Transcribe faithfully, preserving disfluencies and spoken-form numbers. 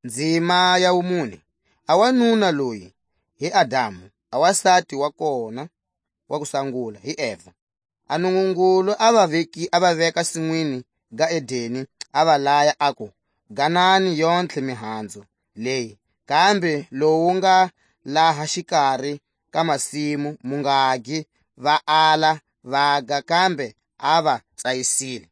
Ndzima ya wumune. A wanuna loyi hi Adamu, a wasati wa kona wa ku sangula hi Eva. A Nungungulu a va veki-, a va veka sinwini ga Edeni, a va laya, aku, "Ganani yontlhe mihanzu leyi, kambe lowu nga laha xikari ka masimu mu nga gi." Va ala, vaga, kambe a va tsayisile.